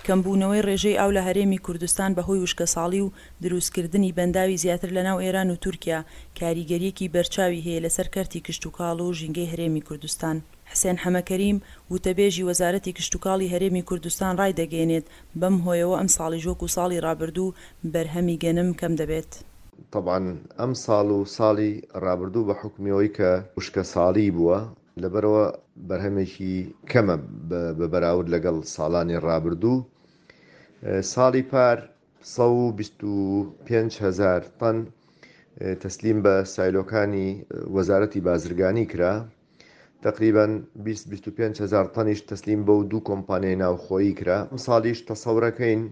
کەمبوونەوەی ڕێژەی ئاو لە هەرێمی کوردستان بەهۆی وشکەساڵی و دروستکردنی بەنداوی زیاتر لەناو ئێران و تورکیا، کاریگەرییەکی بەرچاوی هەیە لەسەر کەرتی کشتوکاڵ و ژینگەی هەرێمی کوردستان. حسێن حەمەکەریم، وتەبێژی وەزارەتی کشتوکاڵی هەرێمی کوردستان ڕایدەگەیەنێت، بەم هۆیەوە ئەمساڵیش وەکو ساڵی ڕابردوو بەرهەمی گەنم کەم دەبێت. تەبعەن ئەمساڵ و ساڵی ڕابردوو بە حوکمی ئەوەی کە وشکەساڵی بووە، لەبەرئەوە بەرهەمێکی کەمە بە بەراورد لەگەڵ ساڵانی ڕابردوو. ساڵی پار 125 هەزار تەن تەسلیم بە سایلۆکانی وەزارەتی بازرگانی کرا. تەقریبەن 20 25 هەزار تەنیش تەسلیم بەو دوو کۆمپانیای ناوخۆیی کرا. ئەمساڵیش تەسەورەکەین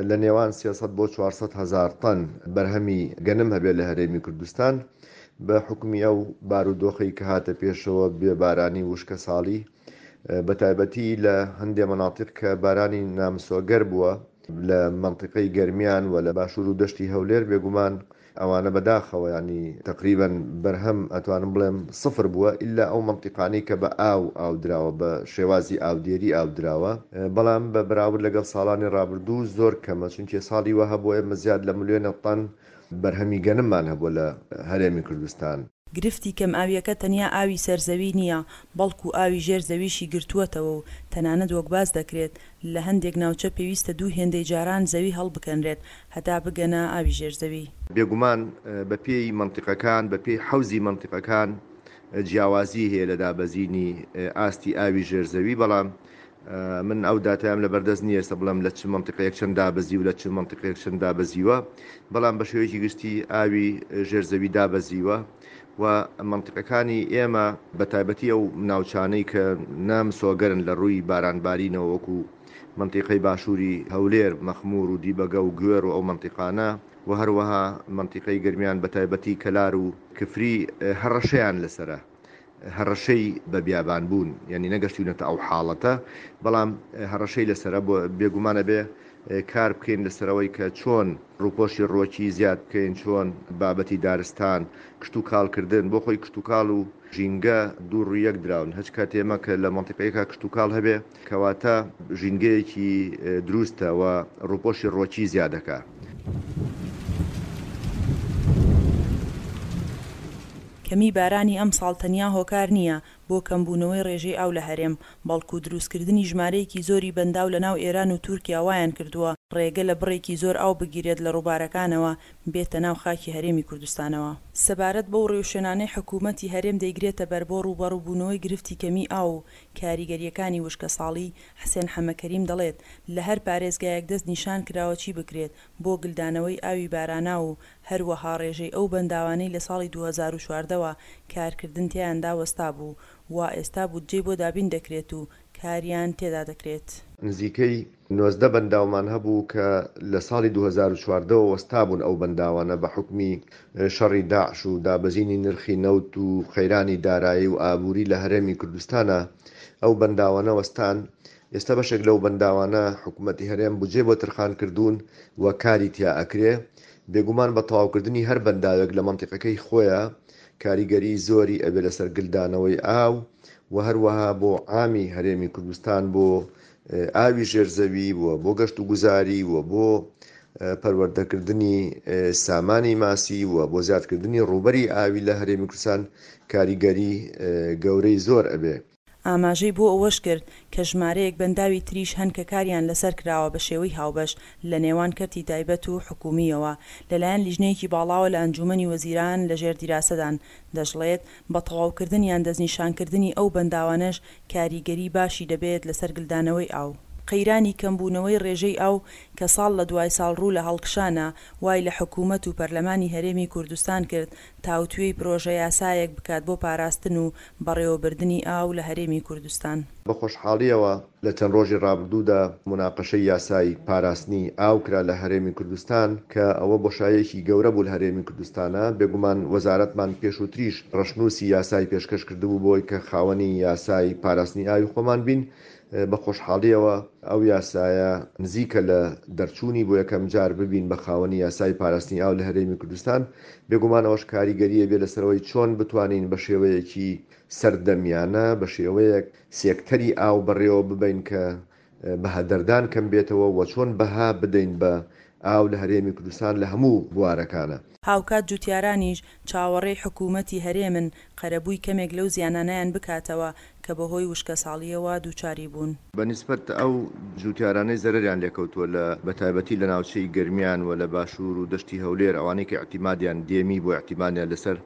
لە نێوان 300 بۆ 400 هەزار تەن بەرهەمی گەنم هەبێت لە هەرێمی کوردستان بە حوکمی ئەو بارودۆخەی کە هاتە پێشەوە بێ بارانی و وشکەساڵی بە تایبەتی لە هەندێ مەناتیق کە بارانی نامسۆگەر بووە لە مەنتیقەی گەرمیان و لە باشوور و دەشتی هەولێر بێگومان ئەوانە بەداخەوە یانی تەقریبەن بەرهەم ئەتوانم بڵێم سفر بووە ئیلا ئەو مەنتیقانەی کە بە ئاو ئاو دراوە بە شێوازی ئاودێری ئاو دراوە بەڵام بە بەراورد لەگەڵ ساڵانی ڕابردوو زۆر کەمە چونکێ ساڵی وا هەبووە ئێمە زیاد لە ملیۆنە تەن بەرهەمی گەنممان هەبووە لە هەرێمی کوردستان. گرفتی کەمئاوییەکە تەنیا ئاوی سەر زەوی نییە، بەڵکو ئاوی ژێر زەویشی گرتووەتەوە و تەنانەت وەک باس دەکرێت لە هەندێک ناوچە پێویستە دوو هێندەی جاران زەوی هەڵبکەنرێت هەتا بگەنە ئاوی ژێر زەوی. بێگومان بە پێی مەنتیقەکان، بە پێی حەوزی مەنتیقەکان جیاوازی هەیە لە دابەزینی ئاستی ئاوی ژێر زەوی، بەڵام من ئەو داتایەم لەبەردەست نییە ئێستا بڵێم لە چ مەنتیقەیەک چەند دابەزیوە لە چ مەنتیقەیەک چەند دابەزیوە، بەڵام بە شێوەیەکی گشتی ئاوی ژێر زەوی دابەزیوە و مەنتیقەکانی ئێمە بە تایبەتی ئەو ناوچانەی کە نامسۆگەرن لە ڕووی بارانبارینەوە وەکو مەنتیقەی باشووری هەولێر، مەخموور و دیبەگە و گوێڕ و ئەو مەنتیقانە و هەروەها مەنتیقەی گەرمیان بە تایبەتی کەلار و کفری هەڕەشەیان لەسەرە. هەڕەشەی بە بیابان بوون یانی نەگەشتوینەتە ئەو حاڵەتە بەڵام هەڕەشەی لەسەرە بۆ بێگومان ئەبێ کار بکەین لەسەرەوەی کە چۆن ڕووپۆشی ڕوەکی زیاد بکەین چۆن بابەتی دارستان کشتوکاڵ کردن بۆ خۆی کشتوکاڵ و ژینگە دوو ڕووی یەک دراون هەچ کات ئێمە کە لە مەنتیقەیەکا کشتوکاڵ هەبێ کەواتە ژینگەیەکی دروستە و ڕووپۆشی ڕوەکی زیادەکا. کەمیی بارانی ئەمساڵ تەنیا هۆکار نییە بۆ کەمبوونەوەی ڕێژەی ئاو لە هەرێم، بەڵکو دروستکردنی ژمارەیەکی زۆری بەنداو لەناو ئێران و تورکیا وایانکردووە ڕێگە لە بڕێکی زۆر ئاو بگیرێت لە ڕووبارەکانەوە بێتە ناو خاکی هەرێمی کوردستانەوە. سەبارەت بەو ڕێوشوێنانەی حکوومەتی هەرێم دەیگرێتەبەر بۆ ڕووبەڕووبوونەوەی گرفتی کەمیی ئاو و کاریگەرییەکانی وشکەساڵی، حسێن حەمەکەریم دەڵێت، لە هەر پارێزگایەک دەست نیشان کراوە چی بکرێت بۆ گلدانەوەی ئاوی باراناو و هەروەها ڕێژەی ئەو بەنداوانەی لە ساڵی 2014 وە کارکردن تیایاندا وەستابوو وا ئێستا بودجەی بۆ دابین دەکرێت و کاریان تێدا دەکرێت. نزیکەی 19 بەنداومان هەبوو کە لە ساڵی 2014 وە وەستابوون ئەو بەنداوانە بە حوکمی شەڕی داعش و دابەزینی نرخی نەوت و قەیرانی دارایی و ئابووری لە هەرێمی کوردستانا ئەو بەنداوانە وەستان، ئێستا بەشێک لەو بەنداوانە حکومەتی هەرێم بودجەی بۆ ترخان کردوون و کاری تیا ئەکرێ، بێگومان بە تەواوکردنی هەر بەنداوێک لە مەنتیقەکەی خۆیا کاریگەری زۆری ئەبێ لەسەر گلدانەوەی ئاو و هەروەها بۆ عامی هەرێمی کوردستان بۆ ئاوی ژێر زەوی و بۆ گەشت و گوزاری و بۆ پەروەردەکردنی سامانی ماسی و بۆ زیادکردنی ڕووبەری ئاوی لە هەرێمی کوردستان کاریگەری گەورەی زۆر ئەبێ. ئاماژەی بۆ ئەوەشکرد، کە ژمارەیەک بەنداوی تریش هەن کە کاریان لەسەر کراوە بە شێوەی هاوبەش لە نێوان کەرتی تایبەت و حکوومییەوە لەلایەن لیژنەیەکی باڵاوە لە ئەنجوومەنی وەزیران لەژێر دیراسەدان، دەشڵێت، بە تەواوکردن یان دەستنیشانکردنی ئەو بەنداوانەش کاریگەری باشی دەبێت لەسەر گلدانەوەی ئاو. قەیرانی کەمبوونەوەی ڕێژەی ئاو کە ساڵ لە دوای ساڵ ڕوو لە هەڵکشانە، وای لە حکوومەت و پەرلەمانی هەرێمی کوردستان کرد تاوتوێی پرۆژە یاسایەک بکات بۆ پاراستن و بەڕێوەبردنی ئاو لە هەرێمی کوردستان. بە خۆشحاڵییەوە لە چەند ڕۆژی ڕابردوودا موناقەشەی یاسای پاراستنی ئاو کرا لە هەرێمی کوردستان کە ئەوە بۆشاییەکی گەورە بوو لە هەرێمی کوردستانا، بێگومان وەزارەتمان پێشووتریش ڕەشنووسی یاسای پێشکەش کردبوو بۆی کە خاوەنی یاسای پاراستنی ئاوی خۆمان بین، بە خۆشحاڵییەوە ئەو یاسایە نزیکە لە دەرچوونی بۆ یەکەم جار ببین بە خاوەنی یاسای پاراستنی ئاو لە هەرێمی کوردستان، بێگومان ئەوەش کاریگەری ئەبێ لەسەر ئەوەی چۆن بتوانین بە شێوەیەکی سەردەمیانە بە شێوەیەک سێکتەری ئاو بەڕێوە ببەین کە بەهەدەردان کەم بێتەوە و چۆن بەها بدەین بە ئاو لە هەرێمی کوردستان لە هەموو بوارەکانە. هاوکات جوتیارانیش چاوەڕێی حکوومەتی هەرێمن قەرەبووی کەمێک لەو زیانانەیان بکاتەوە کە بەهۆی وشکەساڵییەوە دووچاری بوون. بە نیسبەت ئەو جوتیارانەی زەرەریان لێکەوتووە لە بە تایبەتی لە ناوچەی گەرمیان و لە باشوور و دەشتی هەولێر ئەوانەی کە ئیعتیمادیان دێمی بۆ ئیعتیمادیان لەسەر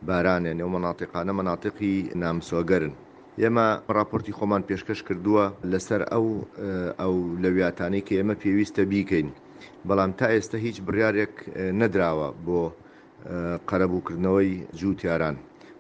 باران یانی ئەو مەناتیقانە مەناتیقی نامسۆگەرن ئێمە ڕاپۆرتی خۆمان پێشکەش کردووە لەسەر ئەو ئەولەویاتانەی کە ئێمە پێویستە بیکەین بەڵام تا ئێستا هیچ بڕیارێک نەدراوە بۆ قەرەبووکردنەوەی جووتیاران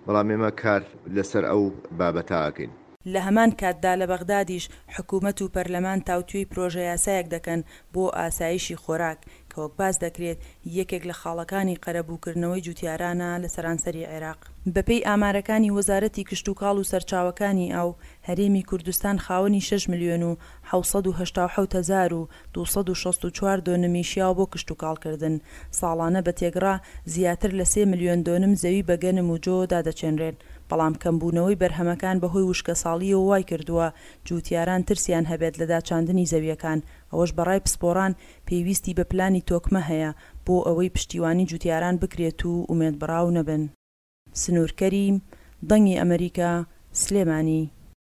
بەڵام ئێمە کار لەسەر ئەو بابەتە ئەکەین. لە هەمان کاتدا لە بەغدادیش حکومەت و پەرلەمان تاوتوێی پرۆژەیاسایەک دەکەن بۆ ئاسایشی خۆراک، کە وەک باس دەکرێت یەکێک لە خاڵەکانی قەرەبووکردنەوەی جوتیارانە لە سەرانسەری عێراق. بەپێی ئامارەکانی وەزارەتی کشتوکاڵ و سەرچاوەکانی ئاو، هەرێمی کوردستان خاوەنی شەش ملیۆن و 787 هەزار و 264 دۆنمی شیاوە بۆ کشتوکاڵکردن، ساڵانە بە تێگڕا زیاتر لە سێ ملیۆن دۆنم زەوی بە گەنم و جۆ دادەچێنرێن، بەڵام کەمبوونەوەی بەرهەمەکان بەهۆی وشکەساڵییەوە وایکردووە جووتیاران ترسیان هەبێت لە داچاندنی زەوییەکان، ئەوەش بەڕای پسپۆڕان پێویستی بە پلانی تۆکمە هەیە بۆ ئەوەی پشتیوانی جووتیاران بکرێت و ئومێدبڕاو نەبن. سنوور کەریم، دەنگی ئەمەریکا، سلێمانی.